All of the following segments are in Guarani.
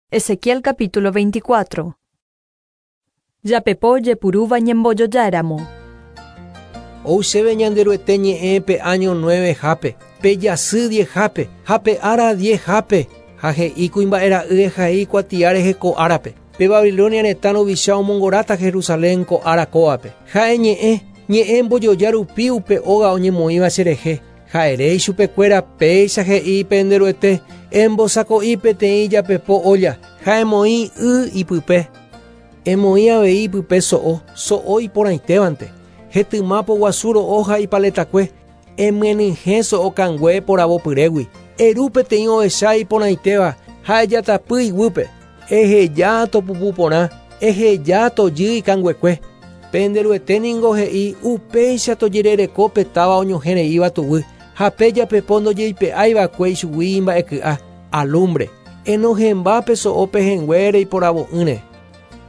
Ezequiel capítulo 24. Japepo jepurúva ñembojojáramo. Ou chéve Ñanderuete ñe'ẽ pe áño nueve-hápe, pe jasy diez-hápe, ha pe ára diez-hápe, ha he'i kuimba'e ra'y ehai kuatia rehe ko árape, pe Babilonia retã ruvicha omongoráta Jerusalén ko ára kóvape. Ha eñe'ẽ, ñe'ẽ mbojoja rupi upe óga oñemoĩva cherehe, Ha ere ichupekuéra, Péicha he'i pende Ruete, Embosako'i peteĩ japepo ólla, ha emoĩ y ipype. Emoĩ avei ipype so'o, so'o iporãitévante, hetyma poguasu ro'o ha ipaletakue, emyenyhẽ so'o kangue poravopyrégui. Eru peteĩ ovecha iporãitéva ha ejatapy iguýpe. Eheja topupu porã, eheja tojy ikanguekue. Pende Ruete ningo he'i, Upéicha tojerereko pe táva oñohẽ reíva tuguy, ha pe japepo ndojeipe'ái va'ekue ichugui imba'eky'a, alúmbre. Enohẽmba pe so'o pehẽngue reiporavo'ỹre.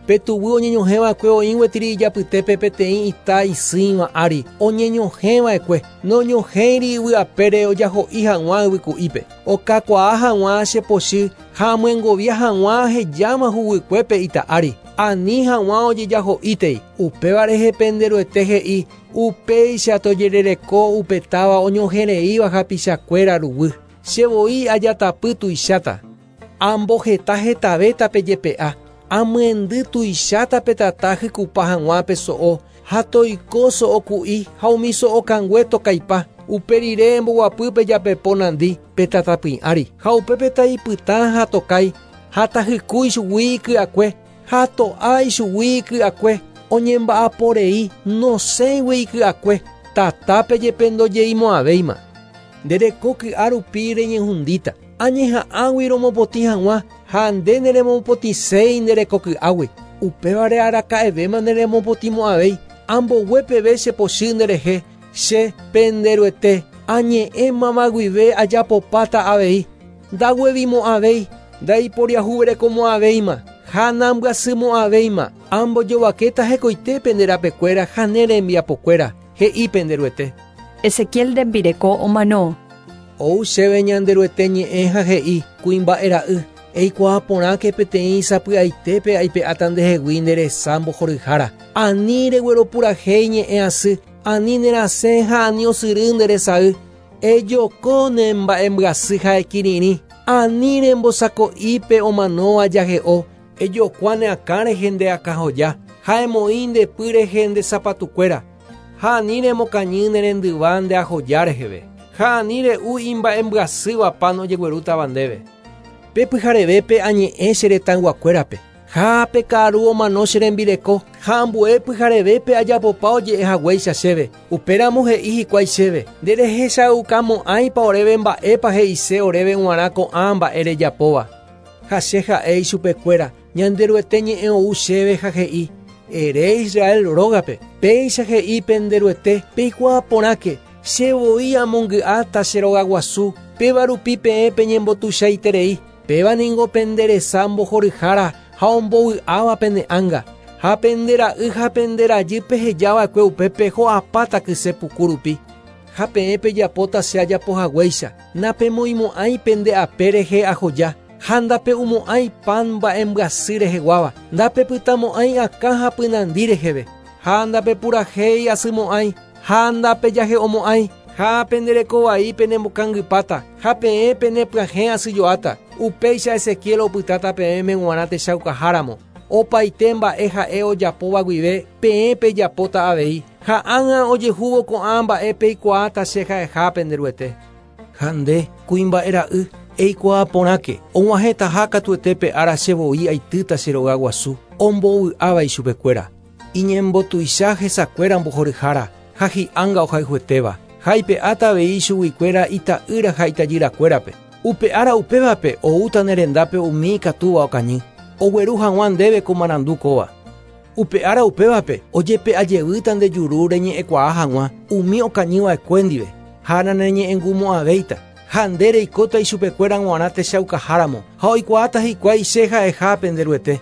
Pe tuguy oñeñohẽ va'ekue oĩ gueteri ijapytépe peteĩ ita isỹiva ári oñeñohẽ va'ekue, noñohẽiri yvy apére ojaho'i hag̃ua yvyku'ípe, okakuaa hag̃ua che pochy ha amyengovia hag̃ua ahejáma huguykuépe ita ári, ani hag̃ua ojejaho'ítei. Upéva rehe pende Ruete he'i, Upéicha tojerereko upe táva oñohẽreíva hapichakuéra ruguy. Che voi ajatapy tuicháta, amboheta hetavéta pe jepe'a, amyendy tuicháta pe tata hykupa hag̃ua pe so'o, ha toiko so'o ku'i ha umi so'o kangue tokaipa. Upe rire emboguapy pe japepo nandi pe tatapỹi ári, ha upépe taipytã ha tokái, ha tahyku ichugui iky'akue, ha to'a ichugui iky'akue, oñemba'apo rei nosẽigui iky'akue, tatápe jepe ndojeimo'ãvéima. Nde reko ky'a rupi reñehundíta, añeha'ãgui romopotĩ hag̃ua, ha nde neremopotĩséi nde reko ky'águi, upévare araka'evéma neremopotĩmo'ãvéi, ambogue peve che pochy nderehe, Che, pende Ruete, añe'ẽmava guive ajapopáta avei, ndaguevimo'ãvéi, ndaiporiahuverekomo'ãvéima, ha nambyasymo'ãvéima, ambojovakéta hekoite pende rapekuéra ha ne rembiapokuéra, he'i pende Ruete. Ezequiel rembireko omano. Ou chéve Ñanderuete ñe'ẽ ha he'i, Kuimba'e ra'y, eikuaa porãke peteĩ sapy'aitépe aipe'áta ndehegui nde resa mbohoryhára. Ani regueropurahéi ñe'ẽ asy, Ani nerasẽ ha ani osyry nde resay, ejoko ne mba'embyasy ha ekirirĩ, ani rembosako'i pe omanóva jahe'o, ejokua ne akã rehe nde akãhoja, ha emoĩ nde py rehe nde sapatukuéra, ha ani remokañy ne rendyva nde ahoja reheve, ha ani re'u imba'embyasýva pan ojeguerútava ndéve. Pe pyharevépe añe'ẽ che retãyguakuérape. Ha pe ka'aru omano che rembireko, ha ambue pyharevépe ajapopa oje'e haguéicha chéve. Upéramo he'i hikuái chéve, Nderehechaukamo'ãipa oréve mba'épa he'ise oréve g̃uarã ko'ã mba'e rejapóva. Ha che ha'e ichupekuéra, Ñanderuete ñe'ẽ ou chéve ha he'i, Ere Israel rógape, péicha he'i pende Ruete, Peikuaa porãke, che voi amongy'áta che rogaguasu, péva rupi peẽ peñembotuichaiterei. Péva ningo pende resa mbohoryhára ha ombovy'áva pene ánga, ha pende ra'y ha pende rajy peheja va'ekue upépe ho'apáta kyse puku rupi. Ha peẽ pejapóta che ajapo haguéicha, napemoĩmo'ãi pende ape rehe ahoja, ha ndape'umo'ãi pan mba'embyasy reheguáva, ndapepytamo'ãi akã ha pynandi reheve, ha ndapepurahéi asymo'ãi, Ha ndapejahe'omo'ãi, ha pende reko vai penembokangypáta, ha peẽ penepyahẽ asyjoáta. Upéicha Ezequiel opytáta peẽme g̃uarã techaukaha ramo. Opaite mba'e ha'e ojapóva guive, peẽ pejapóta avei. Ha ág̃a ojehúvo ko'ã mba'e peikuaáta che ha'eha pende Ruete. Ha nde, kuimba'e ra'y, eikuaa porãke, og̃uahẽtaha katuete pe ára che voi aitýta che rogaguasu, ombovy'áva ichupekuéra. Iñembotuicha hesakuéra mbohoryhára ha hi'ánga ohayhuetéva, ha aipe'áta avei ichuguikuéra ita'ýra ha itajyrakuérape. Upe ára upévape oúta ne rendápe umi ikatúva okañy, ogueru hag̃ua ndéve ko marandu kóva. Upe ára upévape ojepe'a jevýta nde juru reñe'ẽkuaa hag̃ua umi okañyva'ekue ndive, ha naneñe'ẽngumo'ãvéita, ha nde reikóta ichupekuéra g̃uarã techaukaháramo, ha oikuaáta hikuái che ha'eha pende Ruete.